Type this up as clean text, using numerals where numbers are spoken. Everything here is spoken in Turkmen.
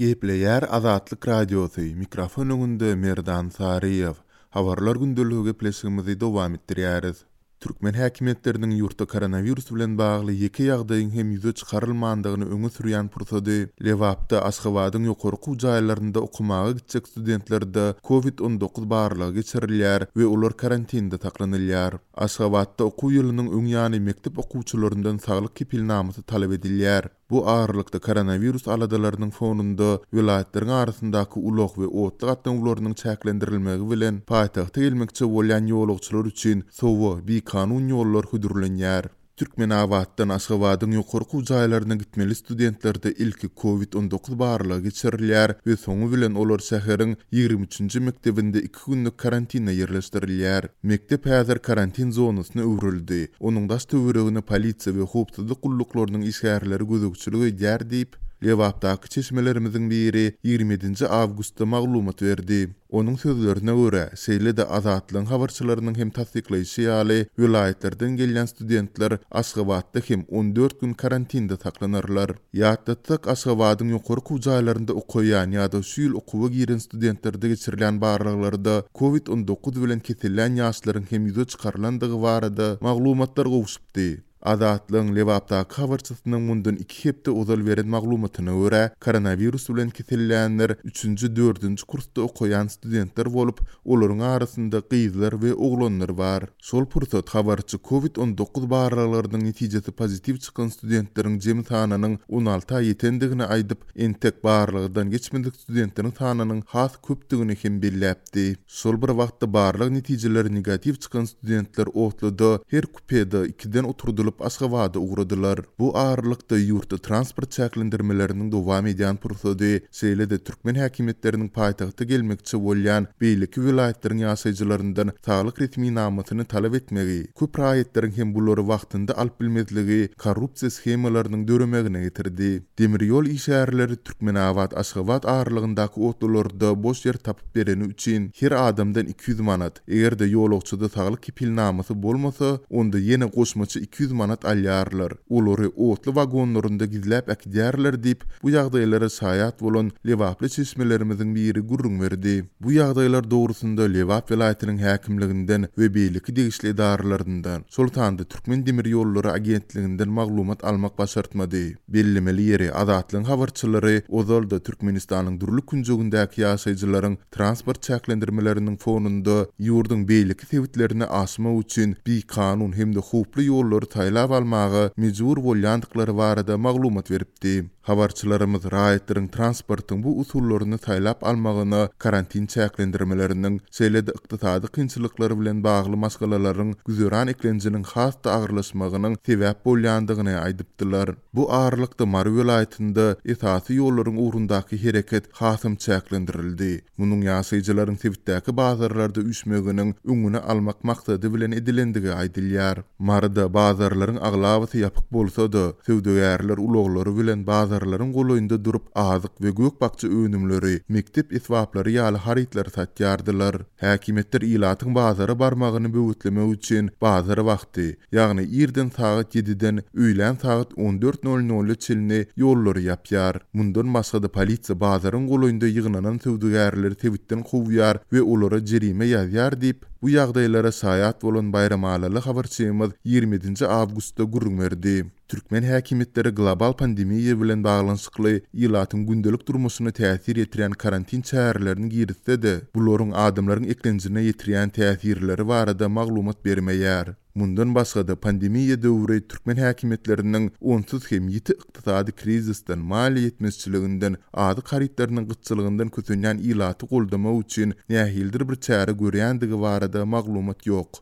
Gepleýär Azatlyk Radiosy, mikrofon öňünde Merdan Saryýew. Habarlar gündeligi gepleşigimizi dowam etdirýäris. Türkmen häkimiýetleriniň ýurtda koronawirus bilen bagly ýeke ýagdaýyň hem ýüze çykarylmandygyny öňe sürýän pursady, Lebapda Aşgabadyň ýokary okuw jaýlarynda okamaga gitjek studentlerde covid 19 barlagy geçirilýär we olar karantinde saklanylýar. Aşgabatda okuw ýylynyň öň ýany mekdep okuwçylaryndan saglyk kepilnamasy talap edilýär. Bu aralykda koronawirus aladalarynyň fonunda welaýatlaryň arasyndaky ulag we otly gatnawlarynyň çäklendirilmegi bilen paýtagta gelmekçi bolýan ýolagçylar üçin sowa bikanun ýollar hödürlenýär. Türkmenabatdan Aşgabadyň ýokary okuw jaýlaryna gitmeli studentlerde ilki covid 19 barlagy geçirilýär we soňy bilen olar şäheriň 23-nji mekdebinde iki günlük karantine ýerleşdirilýär. Mekdep häzir karantin zonasyna öwrüldi. Onuň daş-töweregine polisiýa we howpsuzlyk gulluklarynyň işgärleri gözegçilik edýär diýip, Lebapdaky çeşmelerimiziň biri 27-nji awgustda maglumat berdi. Onuň sözlerine görä, şeýle-de Azatlygyň habarçylarynyň hem tassyklaýşy ýaly, welaýatlardan gelýän studentler Aşgabatda hem 14 gün karantinde saklanarlar. Ýatlatsak, Aşgabadyň ýokary okuw jaýlarynda okaýan ýa-da şu ýyl okuwa giren studentlerde geçirilýän barlaglarda covid 19 bilen kesellän ýaşlaryň hem ýüze çykarylandygy barada maglumatlar gowşupdy. Azatlygyň Lebapdaky habarçysynyň mundan iki hepde ozal beren maglumatyna görä, koronawirus bilen kesellänler üçünji, dördünji kursda okaýan studentler bolup, olaryň arasynda gyzlar we oglanlar bar. Şol pursat habarçy covid 19 barlaglarynyň netijesi pozitiw çykan studentleriň jemi sanynyň on alta ýetendigini aýdyp, entek barlagdan geçmedik studentleriň sanynyň has köpdügini hem belläpdi. Şol bir wagtda barlag netijeleri negatiw çykan studentler otluda her kupede ikiden oturdylyp Aşgabada ugradylar. Bu aralykda ýurtda transport çäklendirmeleriniň dowam edýän pursady, şeýle-de türkmen häkimiýetleriniň paýtagta gelmekçi bolýan beýleki welaýatlaryň ýaşaýjylaryndan saglyk resminamasyny talap etmegi, köp raýatlaryň hem bulary wagtynda alyp bilmezligi korrupsiýa shemalarynyň döremegine getirdi. Demir ýol işgärleri Türkmenabat-Aşgabat aralygyndaky otlularda boş ýer tapyp bereni üçin her adamdan 200 manat, eger-de ýolagçyda saglyk kepilnamasy bolmasa, onda ýene goşmaça 200 manat alýarlar. Olary otly wagonlarynda gizläp äkidýärler diýip, bu ýagdaýlara şaýat bolan lebaply çeşmelerimiziň biri gürrüň berdi. Bu ýagdaýlar dogrusynda Lebap welaýatynyň häkimliginden we beýleki degişli edaralaryndan, şol sanda Türkmendemirýollary agentliginden maglumat almak başartmady. Bellemeli ýeri, Azatlygyň habarçylary ozal-da Türkmenistanyň dürli künjegindäki ýaşaýjylaryň transport çäklendirmeleriniň fonunda ýurduň beýleki sebitlerine aşmak üçin bikanun hem-de howply ýollary saýlap almaga mejbur bolýandyklary barada maglumat beripdi. Habarçylarymyz raýatlaryň transportyň bu usullaryny saýlap almagyna karantin çäklendirmeleriniň, şeýle-de ykdysady kynçylyklar bilen bagly maşgalalaryň güzeran eklenjiniň has-da agyrlaşmagynyň sebäp bolýandygyny aýdypdylar. Bu aralykda Mary welaýatynda esasy ýollaryň ugrundaky hereket hasam çäklendirildi. Munuň ýaşaýjylaryň sebitdäki bazarlarda üýşmeginiň öňüni almak maksady bilen edilendigi aýdylýar. Maryda bazarlaryň aglabasy ýapyk bolsa-da, söwdagärler ulaglary bilen bazarlaryň golaýynda durup, azyk we gök-bakja önümleri, mekdep esbaplary ýaly harytlary satýardylar. Häkimiýetler ilatyň bazara barmagyny böwetlemek üçin bazar wagty, ýagny irden sagat ýediden öýlän sagat on dört nol nola çenli ýollary ýapýar. Mundan başga-da polisiýa bazaryň golaýynda ýygnanan söwdagärleri sebitden kowýar we olara jerime ýazýar diýip, bu ýagdaýlara şaýat bolan baýramalyly habarçymyz 27 nji awgustda gürrüň berdi. Türkmen häkimiýetleri global pandemiýa bilen baglanyşykly ilatyň gündelik durmuşyna täsir ýetirýän karantin çärelerini girizse-de, bularyň adamlaryň eklenjine ýetirýän täsirleri barada maglumat bermeýär. Mundan başga-da, pandemiýa döwri türkmen häkimiýetleriniň onsuz hem ýiti ykdysady krizisden, maliýe ýetmezçiliginden, azyk harytlarynyň gytçylygyndan kösenýän ilaty goldamak üçin nähilidir bir çäre görýändigi barada maglumat ýok.